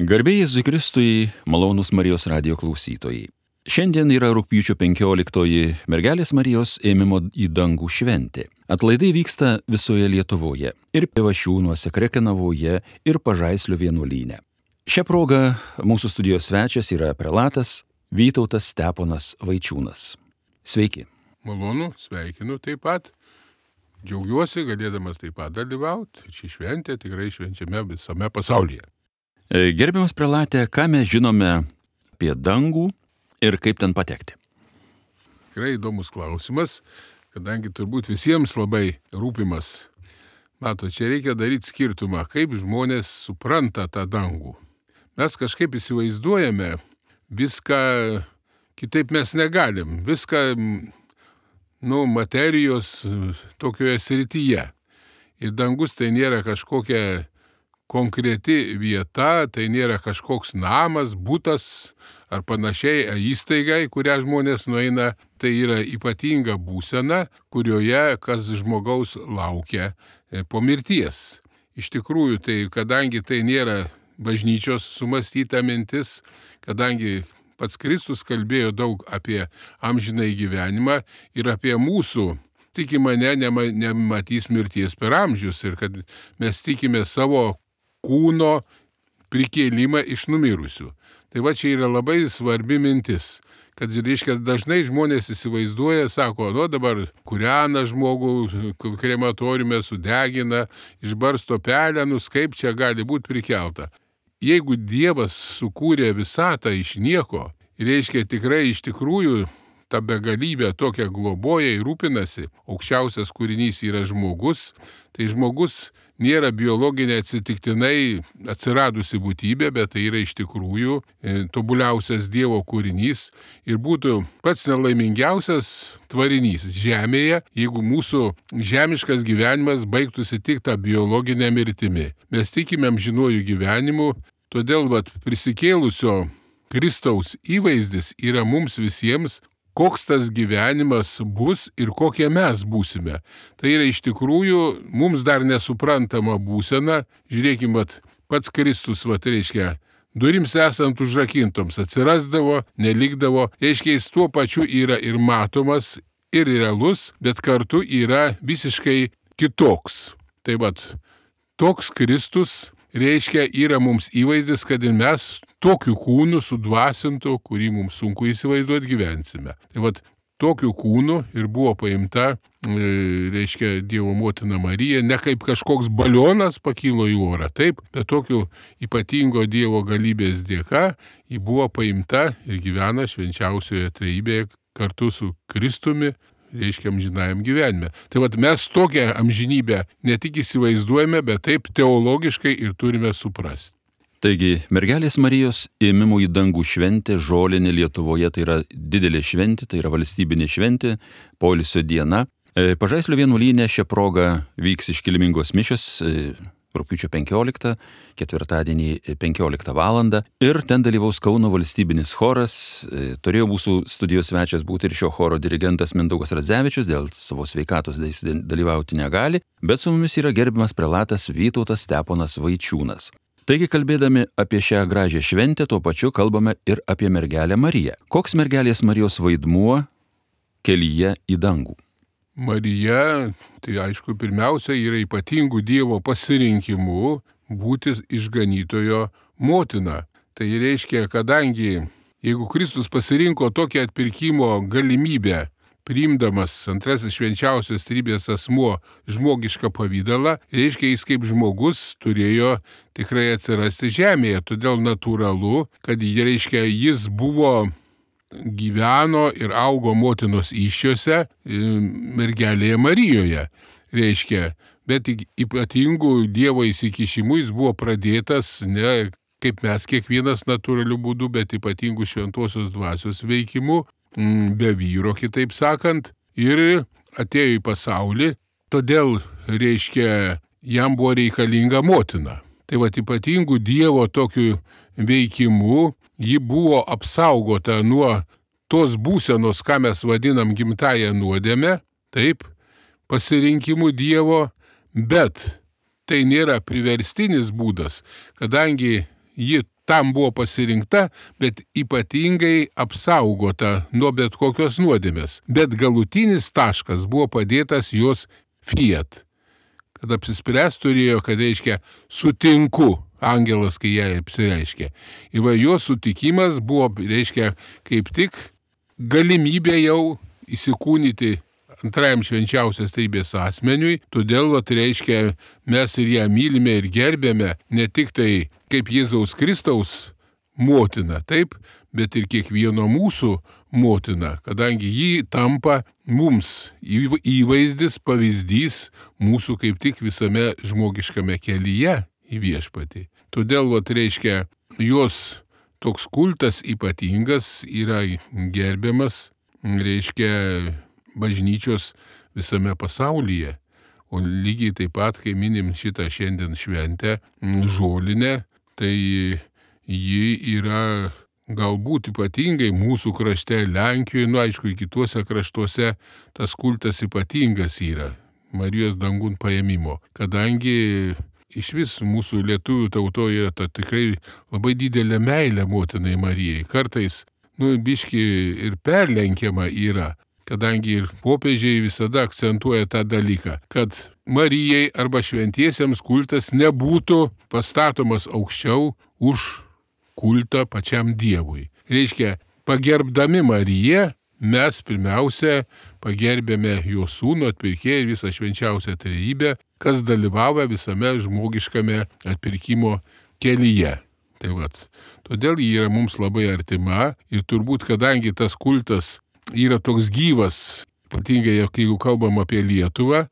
Garbė Jėzui Kristui, malonūs Marijos radijo klausytojai. Šiandien yra rugpjūčio 15 mergelės Marijos ėmimo į dangų šventė. Atlaidai vyksta visoje Lietuvoje ir Pivašiūnuose, Krekenavoje ir Pažaislio vienuolyne. Šią progą mūsų studijos svečias yra prelatas Vytautas Steponas Vaičiūnas. Sveiki. Malonu, sveikinu taip pat. Džiaugiuosi galėdamas taip pat dalyvauti. Ši šventė tikrai švenčiame visame pasaulyje. Gerbiamas prelate, ką mes žinome apie dangų ir kaip ten patekti? Tikrai įdomus klausimas, kadangi turbūt visiems labai rūpimas. Mato, čia reikia daryti skirtumą, kaip žmonės supranta tą dangų. Mes kažkaip įsivaizduojame viską, kitaip mes negalim. Viską, materijos tokioje srityje. Ir dangus tai nėra kažkokia konkreti vieta, tai nėra kažkoks namas, butas ar panašiai įstaiga, į kurią žmonės nueina. Tai yra ypatinga būsena, kurioje kas žmogaus laukia po mirties. Iš tikrųjų, tai kadangi tai nėra bažnyčios sumąstyta mintis, kadangi pats Kristus kalbėjo daug apie amžinąjį gyvenimą ir apie mūsų, tiki mane, nematys mirties per amžius ir kad mes tikime savo kūno prikėlimą iš numirusių. Tai va čia yra labai svarbi mintis, kad reiškia dažnai žmonės įsivaizduoja, sako, dabar kūrena žmogų, krematoriume sudegina, išbarsto pelenus, kaip čia gali būti prikelta. Jeigu Dievas sukūrė visatą iš nieko, reiškia tikrai iš tikrųjų ta begalybė tokia globoja ir rūpinasi, aukščiausias kūrinys yra žmogus, tai žmogus nėra biologinė atsitiktinai atsiradusi būtybė, bet tai yra iš tikrųjų tobuliausias Dievo kūrinys ir būtų pats nelaimingiausias tvarinys žemėje, jeigu mūsų žemiškas gyvenimas baigtųsi tik tą biologinę mirtimi. Mes tikime amžinuoju gyvenimu, todėl prisikėlusio Kristaus įvaizdis yra mums visiems, koks tas gyvenimas bus ir kokie mes būsime. Tai yra iš tikrųjų mums dar nesuprantama būsena. Žiūrėkime, pats Kristus, reiškia, durims esant užrakintoms atsirasdavo, nelikdavo. Reiškia, jis tuo pačiu yra ir matomas, ir realus, bet kartu yra visiškai kitoks. Tai toks Kristus reiškia yra mums įvaizdis, kad ir mes tokiu kūnu sudvasintu, kurį mums sunku įsivaizduoti, gyvensime. Tai tokiu kūnu ir buvo paimta, reiškia, Dievo motina Marija, ne kaip kažkoks balionas pakilo į orą, taip, bet tokiu ypatingo Dievo galybės dėka ji buvo paimta ir gyvena švenčiausioje trejybėje kartu su Kristumi, reiškia amžinajam gyvenime. Tai mes tokią amžinybę ne tik įsivaizduojame, bet taip teologiškai ir turime suprasti. Taigi, mergelės Marijos ėmimo į dangų šventė žolinė Lietuvoje tai yra didelė šventė, tai yra valstybinė šventė, poilsio diena. Pažaislio vienuolyne šią progą vyks iškilmingos mišios rugpjūčio 15, ketvirtadienį 15 valandą. Ir ten dalyvaus Kauno valstybinis choras. Turėjo mūsų studijos svečias būti ir šio choro dirigentas Mindaugas Radzevičius, dėl savo sveikatos dalyvauti negali, bet su mumis yra gerbiamas prelatas Vytautas Steponas Vaičiūnas. Taigi, kalbėdami apie šią gražią šventę, tuo pačiu kalbame ir apie mergelę Mariją. Koks mergelės Marijos vaidmuo kelyje į dangų? Marija, tai aišku, pirmiausia yra ypatingų Dievo pasirinkimų būti išganytojo motina. Tai reiškia, kadangi jeigu Kristus pasirinko tokią atpirkimo galimybę, priimdamas antrasis švenčiausios trejybės asmuo žmogišką pavidalą, reiškia, jis kaip žmogus turėjo tikrai atsirasti žemėje. Todėl natūralu, kad jis gyveno ir augo motinos įsčiose mergelėje Marijoje. Reiškia, bet ypatingų Dievo įsikišimų jis buvo pradėtas ne kaip mes kiekvienas natūraliu būdu, bet ypatingų šventosios dvasios veikimu, be vyro, kitaip sakant, ir atėjo į pasaulį, todėl, reiškia, jam buvo reikalinga motina. Tai ypatingų Dievo tokiu veikimu ji buvo apsaugota nuo tos būsenos, ką mes vadinam gimtąją nuodėmę, taip, pasirinkimų Dievo, bet tai nėra priverstinis būdas, kadangi ji tam buvo pasirinkta, bet ypatingai apsaugota nuo bet kokios nuodėmės. Bet galutinis taškas buvo padėtas jos fiat. Kad apsispręs turėjo, kad reiškia sutinku, angelas, kai jai apsireiškė. Ir jos sutikimas buvo, reiškia, kaip tik galimybė jau įsikūnyti antrajam švenčiausios trejybės asmeniui, todėl, reiškia, mes ir ją mylime ir gerbėme ne tik tai kaip Jėzaus Kristaus motina, taip, bet ir kiekvieno mūsų motina, kadangi ji tampa mums įvaizdis, pavyzdys mūsų kaip tik visame žmogiškame kelyje į viešpatį. Todėl, reiškia, jos toks kultas ypatingas yra gerbiamas, reiškia, bažnyčios visame pasaulyje. O lygiai taip pat, kai minim šitą šiandien šventę žolinę, tai ji yra galbūt ypatingai mūsų krašte, Lenkijoje, aišku, ir kituose kraštuose tas kultas ypatingas yra Marijos dangun paėmimo, kadangi iš vis mūsų lietuvių tautoje yra ta tikrai labai didelė meilė motinai Marijai. Kartais, biški ir perlenkiama yra, kadangi ir popiežiai visada akcentuoja tą dalyką, kad Marijai arba šventiesiems kultas nebūtų pastatomas aukščiau už kultą pačiam Dievui. Reiškia, pagerbdami Mariją, mes pirmiausia pagerbėme jo sūnų, atpirkėją ir visą švenčiausią trejybę, kas dalyvavo visame žmogiškame atpirkimo kelyje. Tai todėl ji yra mums labai artima ir turbūt, kadangi tas kultas yra toks gyvas, ypatingai jeigu kalbam apie Lietuvą,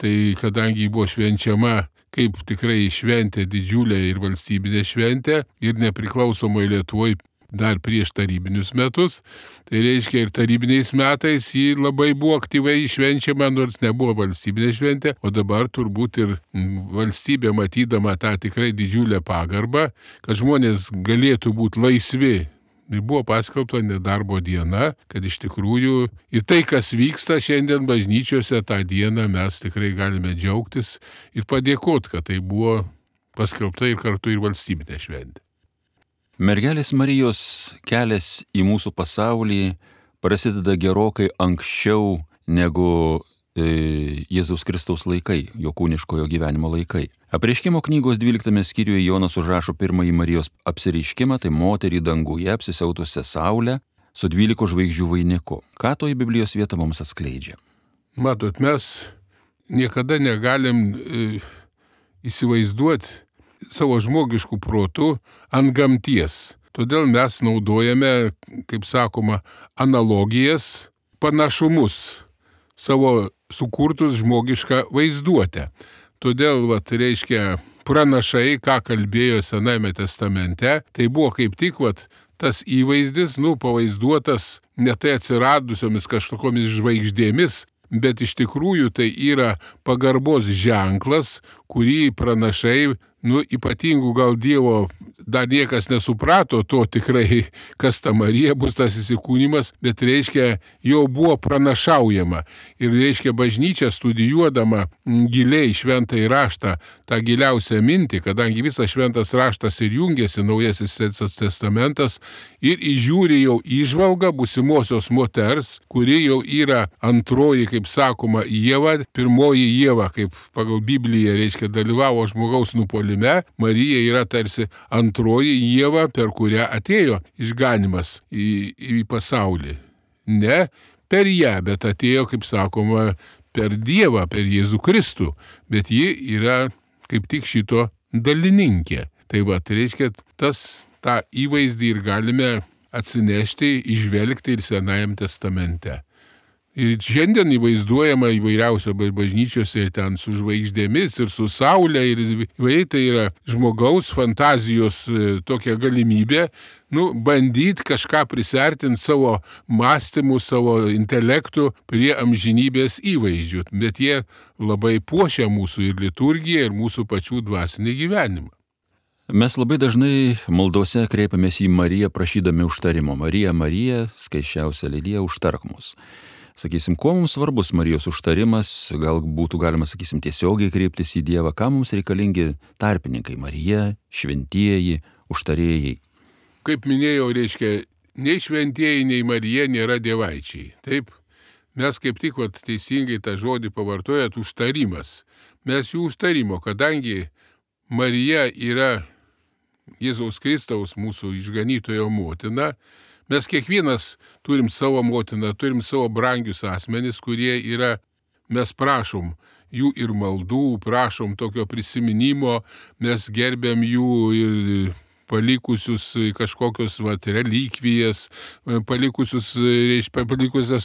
tai kadangi buvo švenčiama kaip tikrai šventė didžiulė ir valstybinė šventė ir nepriklausomai Lietuvoje dar prieš tarybinius metus, tai reiškia ir tarybiniais metais ji labai buvo aktyviai švenčiama, nors nebuvo valstybinė šventė, o dabar turbūt ir valstybė matydama tą tikrai didžiulę pagarbą, kad žmonės galėtų būti laisvi. Buvo paskelbta nedarbo diena, kad iš tikrųjų ir tai, kas vyksta šiandien bažnyčiose, tą dieną mes tikrai galime džiaugtis ir padėkoti, kad tai buvo paskelbta ir kartu ir valstybinė šventė. Mergelės Marijos kelias į mūsų pasaulį prasideda gerokai anksčiau negu Jėzaus Kristaus laikai, jo kūniškojo gyvenimo laikai. Apreiškimo knygos 12 skyriuje Jonas užrašo pirmąjį Marijos apsireiškimą, tai moterį danguje apsisiautusią saulę su 12 žvaigždžių vainiku. Ką toji Biblijos vieta mums atskleidžia? Matot, mes niekada negalim įsivaizduoti savo žmogiškų protų ant gamties. Todėl mes naudojame, kaip sakoma, analogijas, panašumus savo sukurtus žmogišką vaizduotę. Todėl, reiškia, pranašai, ką kalbėjo Senajame testamente, tai buvo kaip tik, tas įvaizdis, pavaizduotas ne tai atsiradusiomis kažkokiamis žvaigždėmis, bet iš tikrųjų tai yra pagarbos ženklas, kurį pranašai, ypatingų gal Dievo dar niekas nesuprato to tikrai, kas ta Marija bus tas įsikūnimas, bet reiškia, jau buvo pranašaujama. Ir reiškia, bažnyčia studijuodama giliai šventąjį raštą, tą giliausią mintį, kadangi visas šventas raštas ir jungiasi Naujasis testamentas ir įžiūri jau įžvalgą būsimosios moters, kuri jau yra antroji, kaip sakoma, Ieva, pirmoji Ieva, kaip pagal Bibliją, reiškia, dalyvavo žmogaus nupuolime. Marija yra tarsi antroji Ieva, per kurią atėjo išganimas į pasaulį. Ne per ją, bet atėjo, kaip sakoma, per Dievą, per Jėzų Kristų. Bet ji yra kaip tik šito dalininkė. Tai reiškia, tą įvaizdį ir galime atsinešti, įžvelgti ir Senajam testamente. Ir šiandien įvaizduojama įvairiausio bažnyčiose ten su žvaigždėmis ir su saulė ir tai yra žmogaus fantazijos tokia galimybė, bandyti kažką prisertinti savo mąstymu, savo intelektu prie amžinybės įvaizdžių. Bet jie labai puošia mūsų ir liturgiją, ir mūsų pačių dvasinį gyvenimą. Mes labai dažnai maldose kreipiamės į Mariją prašydami užtarimo. Marija, Marija, skaisčiausia lydija, užtark mus. Sakysim, kuo mums svarbus Marijos užtarimas, gal būtų galima, tiesiogiai kreiptis į Dievą, ką mums reikalingi tarpininkai, Marija, šventieji, užtarėjai. Kaip minėjau, reiškia, nei šventieji, nei Marija nėra dievaičiai. Taip, mes kaip tik teisingai tą žodį pavartojat, užtarimas. Mes jų užtarimo, kadangi Marija yra Jėzaus Kristaus mūsų išganytojo motina, mes kiekvienas turim savo motiną, turim savo brangius asmenis, kurie yra, mes prašom jų ir maldų, prašom tokio prisiminimo, mes gerbiam jų ir palikusius kažkokius relikvijas, palikusias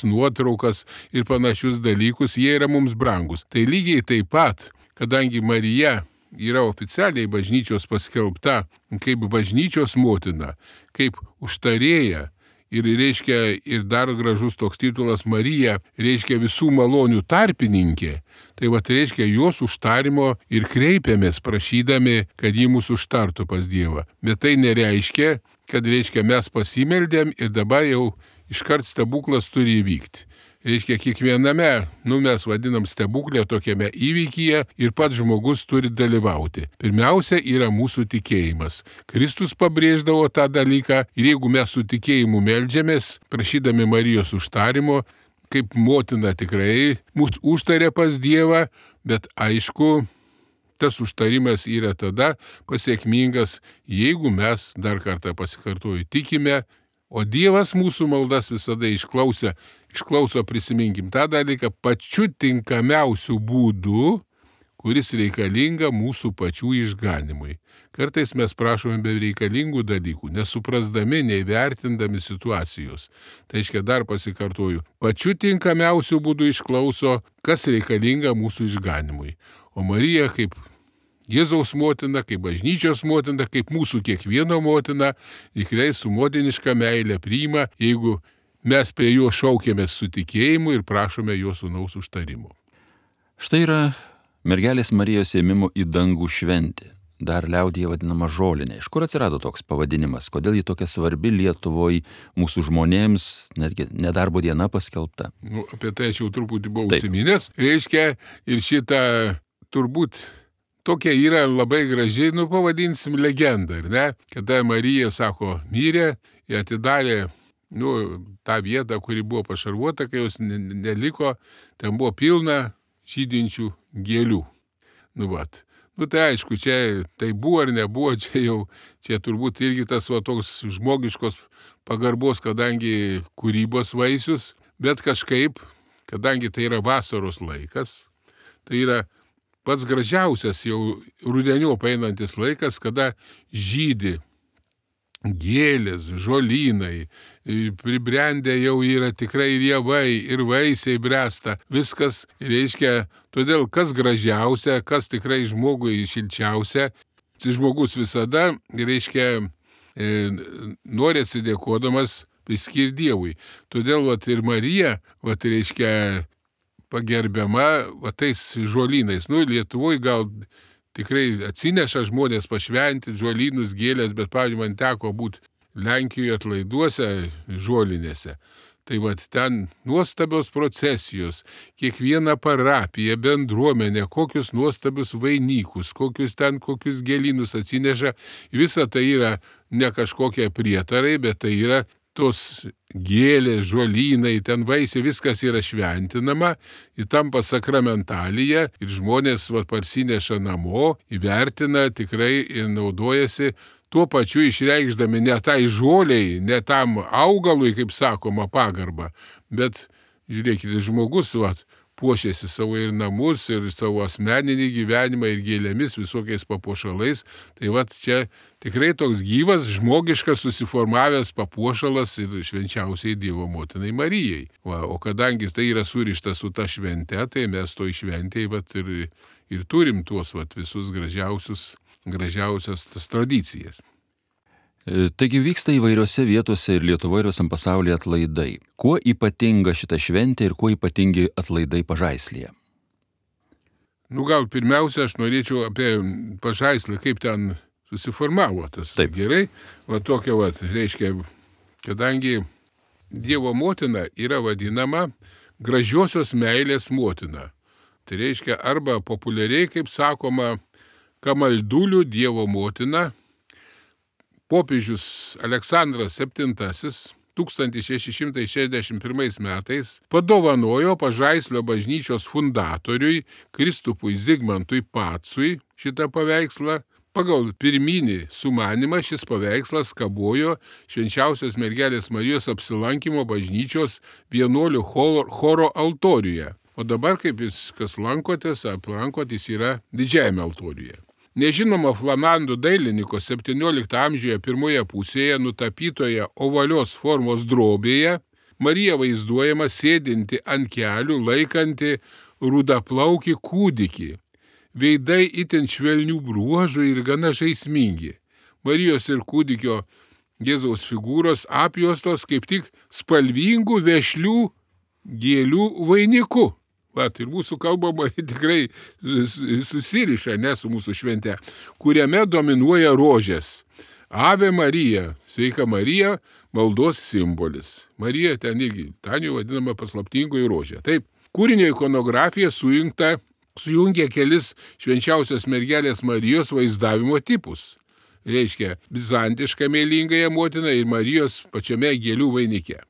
nuotraukas ir panašius dalykus, jie yra mums brangus. Tai lygiai taip pat, kadangi Marija yra oficialiai bažnyčios paskelbta kaip bažnyčios motina, kaip užtarėja, ir reiškia, ir dar gražus toks titulas Marija, reiškia visų malonių tarpininkė, tai reiškia jos užtarimo ir kreipiamės prašydami, kad ji mūsų užtartų pas Dievą. Bet tai nereiškia, kad reiškia mes pasimeldėm ir dabar jau iškart stebuklas turi įvykti. Reiškia, kiekviename, mes vadinam stebuklę tokiame įvykyje ir pats žmogus turi dalyvauti. Pirmiausia yra mūsų tikėjimas. Kristus pabrėždavo tą dalyką ir jeigu mes su tikėjimu meldžiamės, prašydami Marijos užtarimo, kaip motina tikrai mūsų užtarė pas Dievą, bet aišku, tas užtarimas yra tada pasiekmingas, jeigu mes, dar kartą pasikartoju, tikime, o Dievas mūsų maldas visada išklauso, prisiminkim tą dalyką, pačiu tinkamiausiu būdu, kuris reikalinga mūsų pačių išganimui. Kartais mes prašome bereikalingų dalykų, nesuprasdami, neįvertindami situacijos. Tai reiškia, dar pasikartoju, pačiu tinkamiausiu būdu išklauso, kas reikalinga mūsų išganimui. O Marija kaip Jėzaus motina, kaip bažnyčios motina, kaip mūsų kiekvieno motina, tikrai su motiniška meilė priima, jeigu mes prie jo šaukėmės su tikėjimu ir prašome jo sūnaus užtarimo. Štai yra mergelės Marijos ėmimo į dangų šventė, dar liaudyje vadinama žolinė. Iš kur atsirado toks pavadinimas? Kodėl ji tokia svarbi Lietuvoje mūsų žmonėms, netgi nedarbo diena paskelbta? Apie tai aš jau truputį buvau užsiminęs. Reiškia, ir šitą turbūt tokia yra labai graži, pavadinsim legendą, ar ne? Kada Marija, sako, mirė, jie atidarė tą vietą, kuri buvo pašarvuota, kai jos neliko, ten buvo pilna žydinčių gėlių. Tai aišku, čia tai buvo ar nebuvo, čia turbūt irgi tas toks žmogiškos pagarbos, kadangi kūrybos vaisius, bet kažkaip, kadangi tai yra vasaros laikas, tai yra pats gražiausias jau rudeniop einantis laikas, kada žydi gėlės, žolynai, pribrendę jau yra tikrai rievai ir vaisiai bręsta. Viskas reiškia, todėl kas gražiausia, kas tikrai žmogui šilčiausia, žmogus visada, reiškia, nori atsidėkodamas priskirti Dievui. Todėl ir Marija, reiškia, pagerbiama tais žolynais. Lietuvoje gal tikrai atsineša žmonės pašventi žolynus, gėlės, bet pavyzdžiui, man teko būti Lenkijoje atlaiduose žolinėse. Tai ten nuostabios procesijos, kiekviena parapija, bendruomenė, kokius nuostabius vainikus, kokius gėlynus atsineša. Visa tai yra ne kažkokie prietarai, bet tai yra tos gėlės, žolynai, ten vaisiai, viskas yra šventinama, įtampa sakramentalija ir žmonės parsineša namo, įvertina tikrai ir naudojasi tuo pačiu išreikšdami ne tai žoliai, ne tam augalui, kaip sakoma, pagarbą, bet žiūrėkite, žmogus puošiasi savo ir namus, ir savo asmeninį gyvenimą, ir gėlėmis, visokiais papuošalais. Tai čia tikrai toks gyvas, žmogiškas susiformavęs papuošalas ir švenčiausiai Dievo motinai Marijai. O kadangi tai yra surišta su ta švente, tai mes to šventėje ir turim tuos visus gražiausias tas tradicijas. Taigi vyksta įvairiose vietose ir Lietuvoje ir visam pasaulyje atlaidai. Kuo ypatinga šita šventė ir kuo ypatingi atlaidai Pažaislyje? Gal pirmiausia, aš norėčiau apie Pažaislį, kaip ten susiformavo tas. Taip. Gerai, tokia reiškia, kadangi Dievo motina yra vadinama gražiosios meilės motina. Tai reiškia, arba populiariai, kaip sakoma, Kamaldulių Dievo motina, popiežius Aleksandras VII 1661 metais padovanojo Pažaislio bažnyčios fundatoriui Kristupui Zigmantui Pacui šitą paveikslą. Pagal pirminį sumanimą šis paveikslas kabojo Švenčiausios mergelės Marijos apsilankymo bažnyčios vienuolių choro altoriuje. O dabar, kaip jūs kas lankotės, aplankotės yra didžiajame altoriuje. Nežinoma flamandų dailininko 17 amžiuje pirmoje pusėje nutapytoje ovalios formos drobėje Marija vaizduojama sėdinti ant kelių laikanti rudaplaukį kūdikį. Veidai itin švelnių bruožų ir gana žaismingi. Marijos ir kūdikio Jėzaus figūros apjuostos kaip tik spalvingų vešlių gėlių vainiku. Ir mūsų kalbama tikrai susiriša, su mūsų švente, kuriame dominuoja rožės. Ave Marija, sveika Marija, maldos simbolis. Marija ten irgi, ten jau vadinama paslaptingoji rožė. Taip, kūrinio ikonografija sujungia kelis Švenčiausios mergelės Marijos vaizdavimo tipus. Reiškia, bizantišką mėlingąją motiną ir Marijos pačiame gėlių vainike.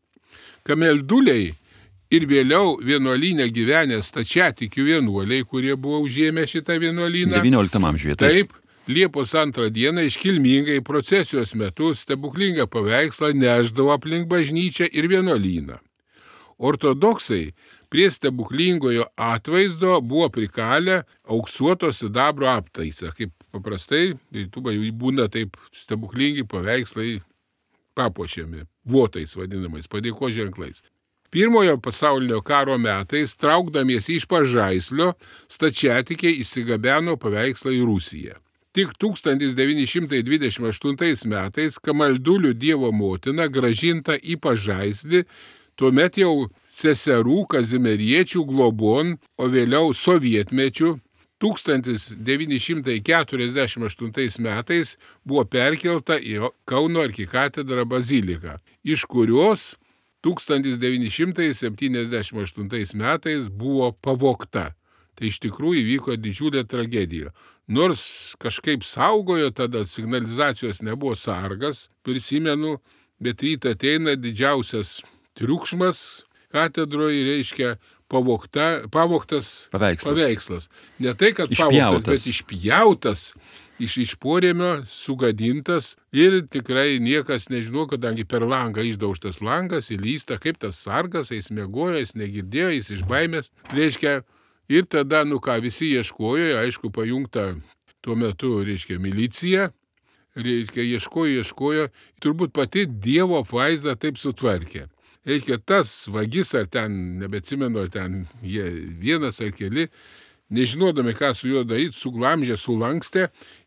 Kamelduliai ir vėliau vienuolyne gyvenę stačiatikių vienuoliai, kurie buvo užėmę šitą vienuolyną. 19 amžiuje. Taip, Liepos 2 dieną iškilmingai procesijos metu stebuklingą paveikslą neždavo aplink bažnyčią ir vienuolyną. Ortodoksai prie stebuklingojo atvaizdo buvo prikalę auksuoto sidabro aptaisą. Kaip paprastai, būna taip stebuklingi paveikslai papuošiami, votais vadinamais, padėkos ženklais. Pirmojo pasaulinio karo metais, traukdamiesi iš Pažaislio, stačiatikiai įsigabeno paveikslą į Rusiją. Tik 1928 metais Kamaldulių Dievo motina grąžinta į Pažaislį, tuomet jau seserų kazimieriečių globon, o vėliau sovietmečių 1948 metais buvo perkelta į Kauno arkikatedrą baziliką, iš kurios 1978 metais buvo pavogta. Tai iš tikrųjų įvyko didžiulė tragedija. Nors kažkaip saugojo, tada signalizacijos nebuvo sargas, prisimenu, bet rytą ateina didžiausias triukšmas katedroje, reiškia pavogtas paveikslas. Ne tai, kad pavogtas, bet išpjautas. Iš porėmio sugadintas ir tikrai niekas nežino, kadangi per langą išdaužtas langas, įlysta, kaip tas sargas, jis miegojo, jis negirdėjo, jis iš baimės. Reiškia, ir tada, visi ieškojo, aišku, pajungta tuo metu, milicija, ieškojo, turbūt pati Dievo apvaizda taip sutvarkė. Reiškia, tas vagis, ar ten, nebeatsimenu, ar ten vienas ar keli, nežinodami, ką su juo daryti, suglamžė, sulankstė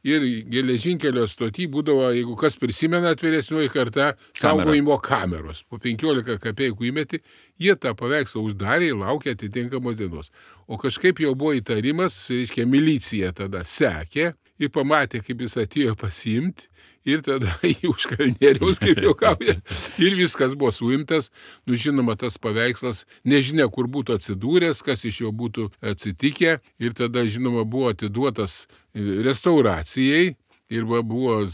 ir geležinkelio stoty būdavo, jeigu kas prisimena vyresnioji karta, saugojimo kameros. Po 15 kapeikų įmeti, jie tą paveikslą uždarė ir laukė atitinkamos dienos. O kažkaip jau buvo įtarimas, reiškia, milicija tada sekė ir pamatė, kaip jis atėjo pasiimti. Ir tada jį už kalnieriaus, kaip juokauja, ir viskas buvo suimtas. Žinoma, tas paveikslas nežinia, kur būtų atsidūręs, kas iš jo būtų atsitikę. Ir tada, žinoma, buvo atiduotas restauracijai. Ir buvo,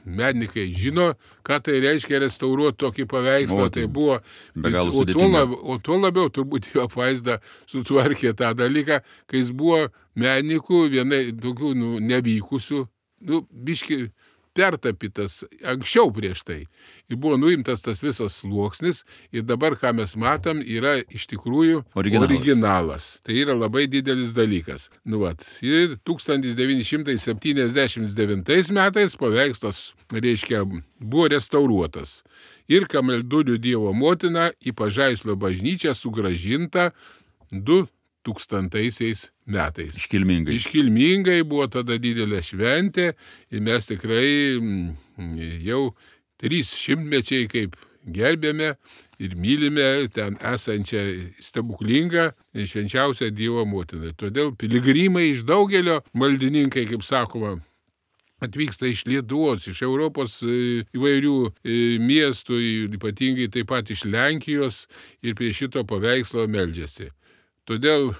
menininkai žino, ką tai reiškia restauruoti tokį paveikslą. Tai buvo, o tuo labiau turbūt jo apvaizda sutvarkė tą dalyką, kai jis buvo menininkų, vienai tokių nevykusių, biški pertapytas anksčiau prieš tai. Ir buvo nuimtas tas visas sluoksnis ir dabar, ką mes matom, yra iš tikrųjų originalas. Tai yra labai didelis dalykas. Ir 1979 metais paveikslas, reiškia, buvo restauruotas. Ir Kamaldulių Dievo motina į Pažaislio bažnyčią sugrąžinta 2000 metais. Iškilmingai buvo tada didelė šventė ir mes tikrai jau 300 mečiai kaip gerbėme ir mylime ten esančią stebuklingą švenčiausią Dievo motiną. Todėl piligrimai iš daugelio maldininkai, kaip sakoma, atvyksta iš Lietuvos, iš Europos įvairių miestų, ypatingai taip pat iš Lenkijos ir prie šito paveikslo meldžiasi. Todėl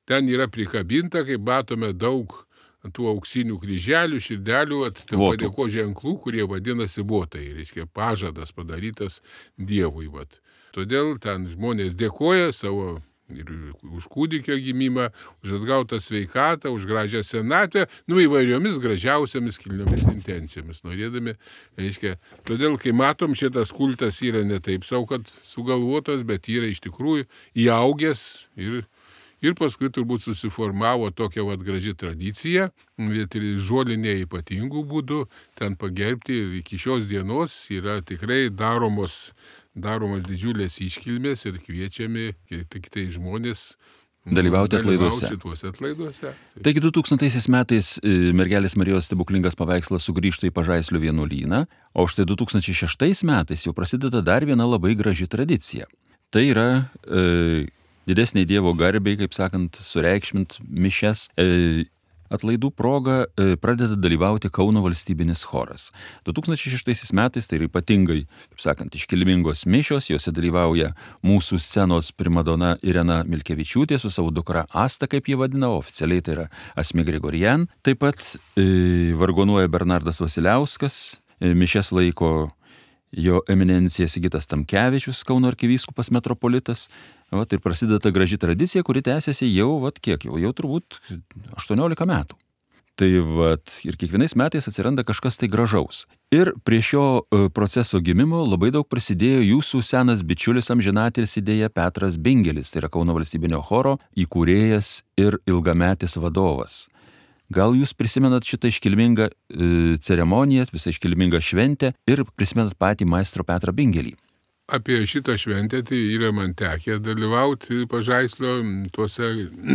ten yra prikabinta, kaip matome, daug ant tų auksinių kryželių, širdelių, padėko ženklų, kurie vadinasi votai, reiškia pažadas padarytas Dievui. Vat. Todėl ten žmonės dėkoja savo ir už kūdikio gimimą, už atgautą sveikatą, už gražią senatvę, įvairiomis gražiausiamis kilniomis intencijomis, norėdami, reiškia, todėl, kai matom, šitas kultas yra ne taip sau, kad sugalvotas, bet yra iš tikrųjų įaugęs ir paskui turbūt susiformavo tokia graži tradicija, žolinė ypatingų būdų, ten pagerbti ir iki šios dienos yra tikrai daromos didžiulės iškilmės ir kviečiami tik tai žmonės dalyvauti šituose atlaiduose. Taigi 2000 metais mergelės Marijos stebuklingas paveikslas sugrįžta į Pažaislio vienuolyną, o štai 2006 metais jau prasideda dar viena labai graži tradicija. Tai yra didesniai Dievo garbei, kaip sakant, sureikšmint mišias. Atlaidų proga pradeda dalyvauti Kauno valstybinis choras. 2006 metais tai yra ypatingai, kaip sakant, iškilmingos mišios, jose dalyvauja mūsų scenos primadona Irena Milkevičiūtė su savo dukra Asta, kaip jie vadina, oficialiai tai yra Asmik Grigorian. Taip pat vargonuoja Bernardas Vasiliauskas, mišias laiko jo eminencija Sigitas Tamkevičius, Kauno arkivyskupas metropolitas. Ir prasideda ta graži tradicija, kuri tęsiasi jau turbūt 18 metų. Tai ir kiekvienais metais atsiranda kažkas tai gražaus. Ir prie šio proceso gimimo labai daug prisidėjo jūsų senas bičiulis amžinatilsį idėja Petras Bingelis, tai yra Kauno valstybinio choro įkūrėjas ir ilgametis vadovas. Gal jūs prisimenat šitą iškilmingą ceremoniją, visą iškilmingą šventę ir prisimenat patį maestro Petrą Bingelį? Apie šitą šventę tai yra man tekę dalyvauti Pažaislio tuose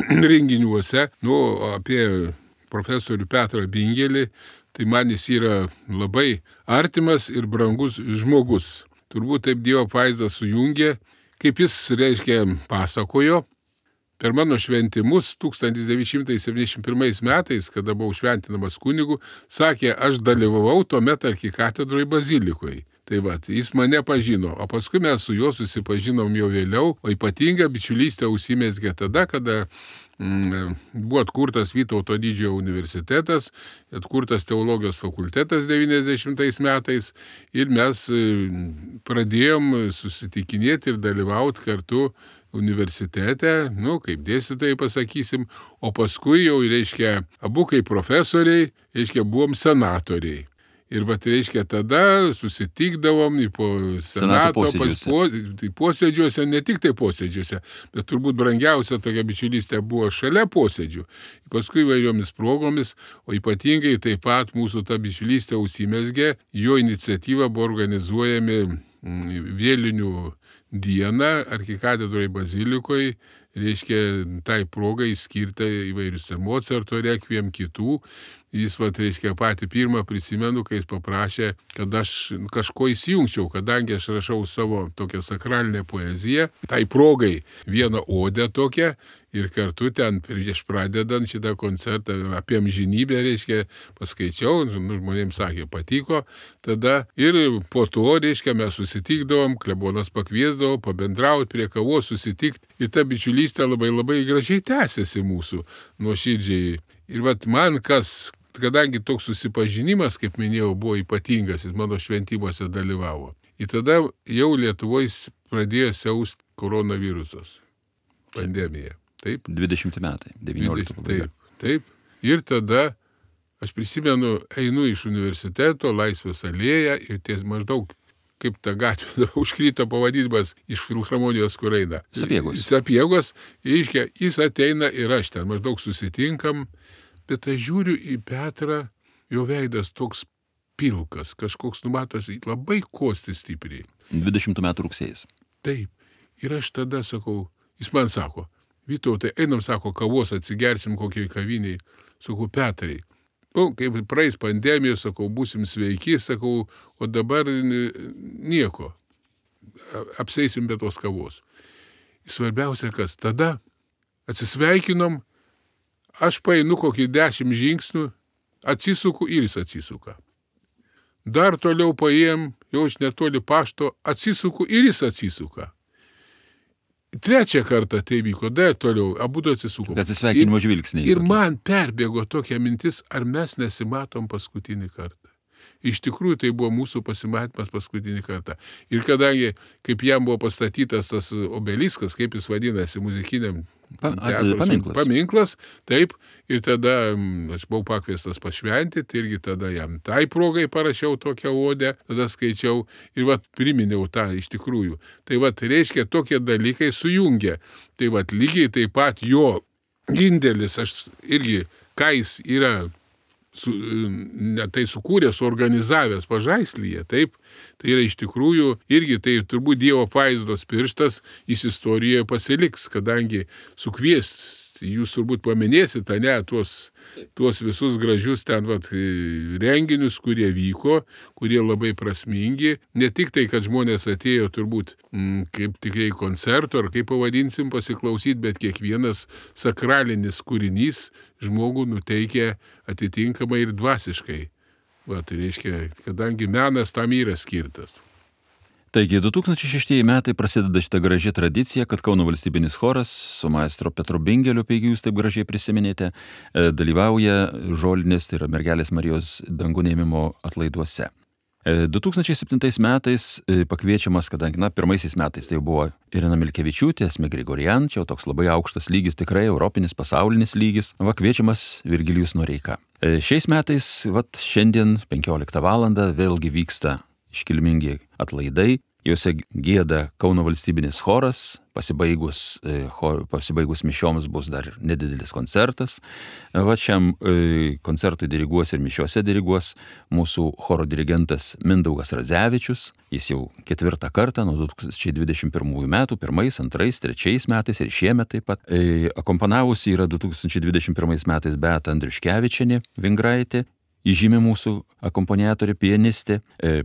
renginiuose. Apie profesorių Petrą Bingelį, tai man jis yra labai artimas ir brangus žmogus. Turbūt taip Dievo apvaizdas sujungė, kaip jis, reiškia, pasakojo. Per mano šventimus 1971 metais, kada buvau šventinamas kunigu, sakė, aš dalyvavau tuomet arkikatedroje bazilikoje. Tai jis mane pažino, o paskui mes su juo susipažinom jau vėliau, o ypatinga bičiulystė užsimezgė tada, kada buvo atkurtas Vytauto didžiojo universitetas, atkurtas teologijos fakultetas 90 metais ir mes pradėjom susitikinėti ir dalyvauti kartu universitete, kaip dėstytojai pasakysim, o paskui jau, reiškia, abu kaip profesoriai, reiškia, buvom senatoriai. Ir reiškia, tada susitikdavom po senato posėdžiuose, ne tik tai posėdžiuose, bet turbūt brangiausia tokia bičiulystė buvo šalia posėdžių. Paskui įvairiomis progomis, o ypatingai taip pat mūsų ta bičiulystė užsimezgė, jo iniciatyva buvo organizuojami vėlinių dieną arkikatedroje bazilikoje, reiškia, tai progai skirta įvairius Mocarto rekviem, kitų. Jis, reiškia, patį pirmą prisimenu, kai jis paprašė, kad aš kažko įsijungčiau, kadangi aš rašau savo tokią sakralinę poeziją, tai progai vieną odę tokią ir kartu ten prieš pradedant šitą koncertą apie amžinybę, reiškia, paskaičiau, žmonėms sakė, patiko, tada ir po to, reiškia, mes susitikdavom, klebonas pakviesdavo, pabendrauti prie kavos, susitikti ir ta bičiulystė labai labai gražiai tęsiasi mūsų nuoširdžiai. Ir man kadangi toks susipažinimas, kaip minėjau, buvo ypatingas, jis mano šventimuose dalyvavo. Ir tada jau Lietuvoje pradėjo siausti koronavirusas, pandemija. Taip? 20 metai, 19 pabaiga. Taip. Ir tada, aš prisimenu, einu iš universiteto, Laisvės alėją ir ties maždaug kaip ta gatvė užkrito pavadinimas iš filharmonijos, kur eina. Sapiegos, reiškia, jis ateina ir aš ten maždaug susitinkam, bet aš žiūriu į Petrą, jo veidas toks pilkas, kažkoks numatosi labai kosti stipriai. 20 metų rugsėjais. Taip. Ir aš tada sakau, jis man sako, Vytautai, einam, sako, kavos atsigersim kokiai kaviniai. Sakau, Petrai, kaip praeis pandemija, sakau, būsim sveiki, sakau, o dabar nieko. Apseisim be tos kavos. Svarbiausia, kas tada atsisveikinom, aš paeinu kokį 10 žingsnių, atsisuku ir jis atsisuka. Dar toliau paėjom, jau aš netoli pašto, atsisuku ir jis atsisuka. trečią kartą tai vyko, dar toliau, abudu atsisuko. Atsisveikinimo žvilgsniai. Ir man perbėgo tokia mintis, ar mes nesimatom paskutinį kartą. Iš tikrųjų, tai buvo mūsų pasimatymas paskutinį kartą. Ir kadangi, kaip jam buvo pastatytas tas obeliskas, kaip jis vadinasi, muzikiniam paminklas, taip, ir tada aš buvau pakviestas pašventyti, irgi tada jam tai progai parašiau tokią odę, tada skaičiau ir priminiau tą iš tikrųjų. Tai reiškia, tokie dalykai sujungia. Tai lygiai taip pat jo indėlis, aš irgi, ką jis yra tai sukūręs, suorganizavęs Pažaislyje, taip, tai yra iš tikrųjų irgi tai turbūt Dievo apvaizdos pirštas, jis istorijoje pasiliks, kadangi sukviest, jūs turbūt paminėsit, ne, tuos visus gražius ten renginius, kurie vyko, kurie labai prasmingi, ne tik tai, kad žmonės atėjo turbūt kaip tikrai koncerto, ar kaip pavadinsim pasiklausyti, bet kiekvienas sakralinis kūrinys žmogų nuteikia atitinkamai ir dvasiškai. Tai reiškia, kadangi menas tam yra skirtas. Taigi 2006 metai prasideda šitą gražią tradiciją, kad Kauno valstybinis choras su maestro Petru Bingeliu, kaip jūs taip gražiai prisiminėte, dalyvauja žolinės, tai yra Mergelės Marijos dangų ėmimo atlaiduose. 2007 metais pakviečiamas, kadangi, pirmaisiais metais tai buvo Irena Milkevičiūtė, Esmė Grigorian, čia toks labai aukštas lygis, tikrai europinis, pasaulinis lygis, kviečiamas Virgilijus Noreika. Šiais metais, šiandien 15 valandą vėlgi vyksta iškilmingi atlaidai, juose gieda Kauno valstybinis choras, pasibaigus mišioms bus dar nedidelis koncertas. Šiam koncertui diriguos ir mišiose diriguos mūsų choro dirigentas Mindaugas Radzevičius. Jis jau 4 kartą nuo 2021 metų, 1, 2, 3 metais ir šiemet taip pat. Akompanavusi yra 2021 metais Beata Andriuškevičienė Vingraitė, įžymi mūsų akompaniatorė, pianistė,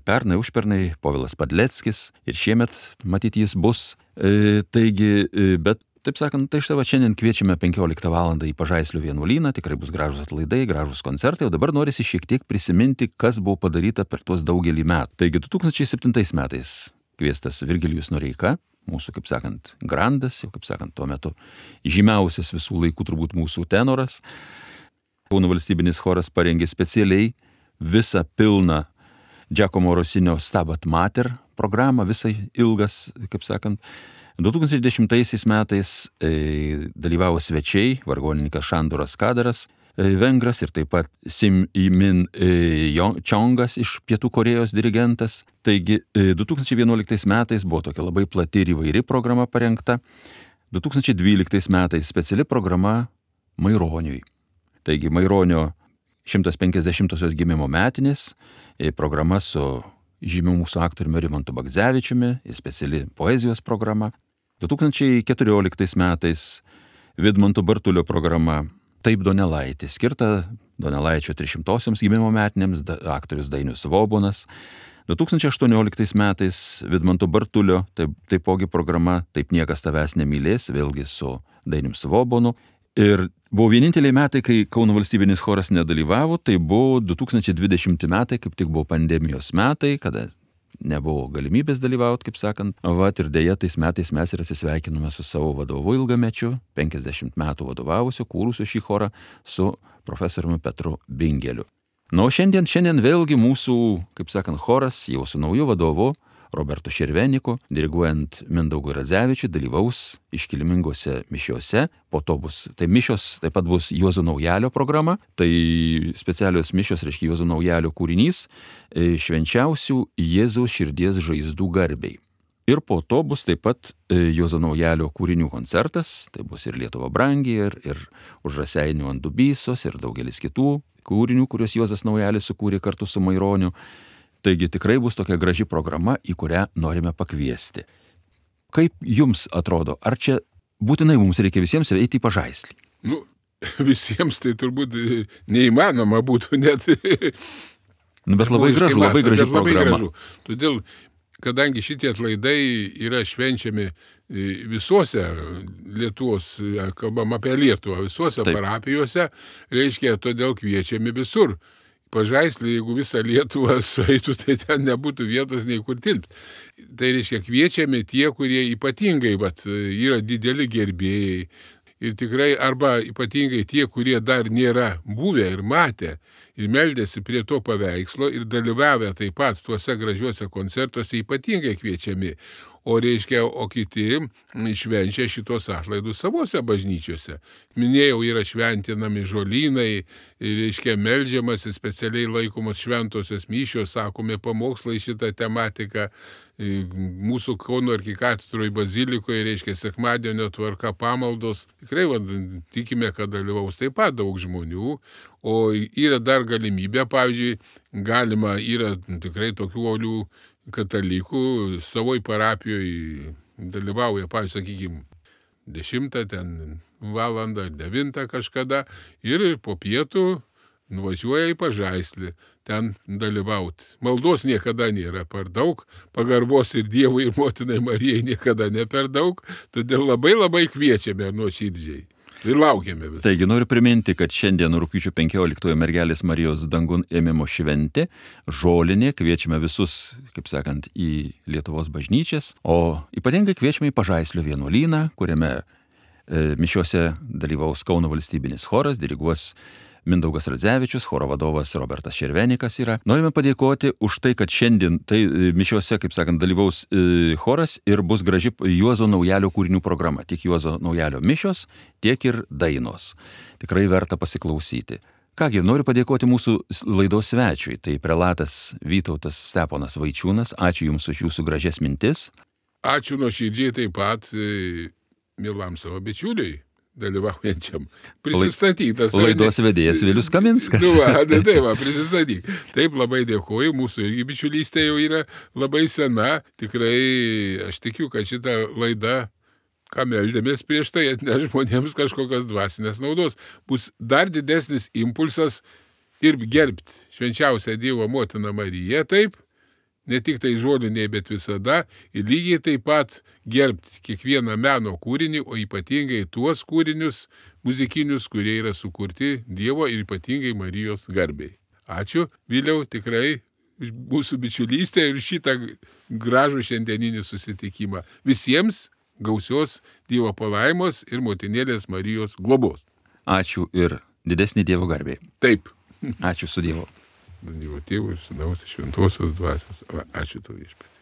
pernai, užpernai Povilas Padleckis ir šiemet matyt jis bus. Taigi, bet taip sakant, tai štai šiandien kviečiame 15 valandą į Pažaislio vienuolyną, tikrai bus gražus atlaidai, gražus koncertai, o dabar norisi šiek tiek prisiminti, kas buvo padaryta per tuos daugelį metų. Taigi 2007 metais kviestas Virgilijus Noreika, mūsų, kaip sakant, grandas, jau kaip sakant, tuo metu žymiausias visų laikų turbūt mūsų tenoras. Kauno valstybinis choras parengė specialiai visą pilną Giacomo Rosinio Stabat Mater programą, visai ilgas, kaip sakant. 2010 metais dalyvavo svečiai, vargonininkas Šanduras Kadaras, vengras ir taip pat Sim Imin Čiongas iš Pietų Korėjos dirigentas. Taigi 2011 metais buvo tokia labai plati ir įvairi programa parengta. 2012 metais speciali programa Maironiui. Taigi Maironio 150-osios gimimo metinės, programa su žymiu mūsų aktoriumi Rimantu Bagdzevičiumi, speciali poezijos programa. 2014 metais Vidmanto Bartulio programa Taip Donelaitė, skirta Donelaičio 300-osioms gimimo metinėms, aktorius Dainius Svobonas. 2018 metais Vidmanto Bartulio, taipogi programa Taip niekas tavęs nemylės, vėlgi su Dainium Svobonu. Ir buvo vieninteliai metai, kai Kauno valstybinis choras nedalyvavo, tai buvo 2020 metai, kaip tik buvo pandemijos metai, kada nebuvo galimybės dalyvauti, kaip sakant. Ir dėja, tais metais mes ir atsisveikinome su savo vadovu ilgamečiu, 50 metų vadovavusiu, kūrusiu šį chorą su profesoriumi Petru Bingeliu. O šiandien vėlgi mūsų, kaip sakant, choras jau su nauju vadovu, Robertu Šerveniku, diriguojant Mindaugui Radzevičiui, dalyvaus iškilmingose mišiose. Po to mišios taip pat bus Juozo Naujalio programa. Tai specialios mišios, reiškia Juozo Naujalio kūrinys švenčiausių Jėzaus širdies žaizdų garbei. Ir po to bus taip pat Juozo Naujalio kūrinių koncertas. Tai bus ir Lietuva brangi, ir Už Raseinių ant Dubysos, ir daugelis kitų kūrinių, kuriuos Juozas Naujalis sukūrė kartu su Maironiu. Taigi tikrai bus tokia graži programa, į kurią norime pakviesti. Kaip jums atrodo, ar čia būtinai mums reikia visiems eiti į Pažaislį? Visiems tai turbūt neįmanoma būtų net. Bet labai graži programa. Todėl, kadangi šitie atlaidai yra švenčiami visuose Lietuvos, kalbam apie Lietuvą, visuose parapijose, reiškia, todėl kviečiami visur. Pažaislį, jeigu visą Lietuvą sueitų, tai ten nebūtų vietos nei kur tilpti. Tai reiškia, kviečiami tie, kurie ypatingai yra dideli gerbėjai. Ir tikrai, arba ypatingai tie, kurie dar nėra buvę ir matę ir meldėsi prie to paveikslo ir dalyvavę taip pat tuose gražiuose koncertuose, ypatingai kviečiami. O reiškia, o kiti švenčia šitos atlaidus savose bažnyčiose. Minėjau, yra šventinami žolynai, reiškia, meldžiamasi, specialiai laikomos šventosios mišios, sakomi pamokslai šitą tematiką. Mūsų Kauno arkikatedroje bazilikoje, reiškia, sekmadienio tvarka pamaldos. Tikrai tikime, kad dalyvaus taip pat daug žmonių. O yra dar galimybė, pavyzdžiui, yra tikrai tokių uolių katalikų savoj parapijoje dalyvauja, pavyzdžiui, sakykime, 10 valandą, 9 kažkada ir po pietų nuvažiuoja į Pažaislį ten dalyvauti. Maldos niekada nėra per daug, pagarbos ir Dievui ir Motinai Marijai niekada ne per daug, todėl labai kviečiame nuoširdžiai. Ir laukiame visą. Taigi noriu priminti, kad šiandien rugpjūčio 15 mergelės Marijos dangun ėmimo šventė, žolinė, kviečiame visus, kaip sakant, į Lietuvos bažnyčias, o ypatingai kviečiame į Pažaislio vienuolyną, kuriame mišiuose dalyvaus Kauno valstybinis choras, diriguos Mindaugas Radzevičius, choro vadovas Robertas Červenikas yra. Norime padėkoti už tai, kad šiandien mišiuose, kaip sakant, dalyvaus choras ir bus graži Juozo Naujalio kūrinių programa. Tiek Juozo Naujalio mišios, tiek ir dainos. Tikrai verta pasiklausyti. Kągi, noriu padėkoti mūsų laidos svečiui. Tai prelatas Vytautas Steponas Vaičiūnas. Ačiū Jums už Jūsų gražias mintis. Ačiū nuoširdžiai taip pat mielam savo bičiuliui dalyvaujančiam. Prisistatytas. Laidos vedėjas Vilius Kaminskas. Prisistatyk. Taip, labai dėkoju. Mūsų irgi bičiulystė jau yra labai sena. Tikrai aš tikiu, kad šita laida, ką meldėmės prieš tai, atneš žmonėms kažkokios dvasinės naudos. Bus dar didesnis impulsas ir gerbti švenčiausią Dievo motiną Mariją, taip, ne tik tai žoliniai, bet visada, ir lygiai taip pat gerbti kiekvieną meno kūrinį, o ypatingai tuos kūrinius muzikinius, kurie yra sukurti Dievo ir ypatingai Marijos garbei. Ačiū, Viliau, tikrai už mūsų bičiulystę ir šitą gražų šiandieninį susitikimą. Visiems gausios Dievo palaimos ir motinėlės Marijos globos. Ačiū ir didesnį Dievo garbei. Taip. Ačiū su Dievu. Dievo Tėvų ir Sūnaus ir Šventosios Dvasios. Ačiū tau, Viešpatie.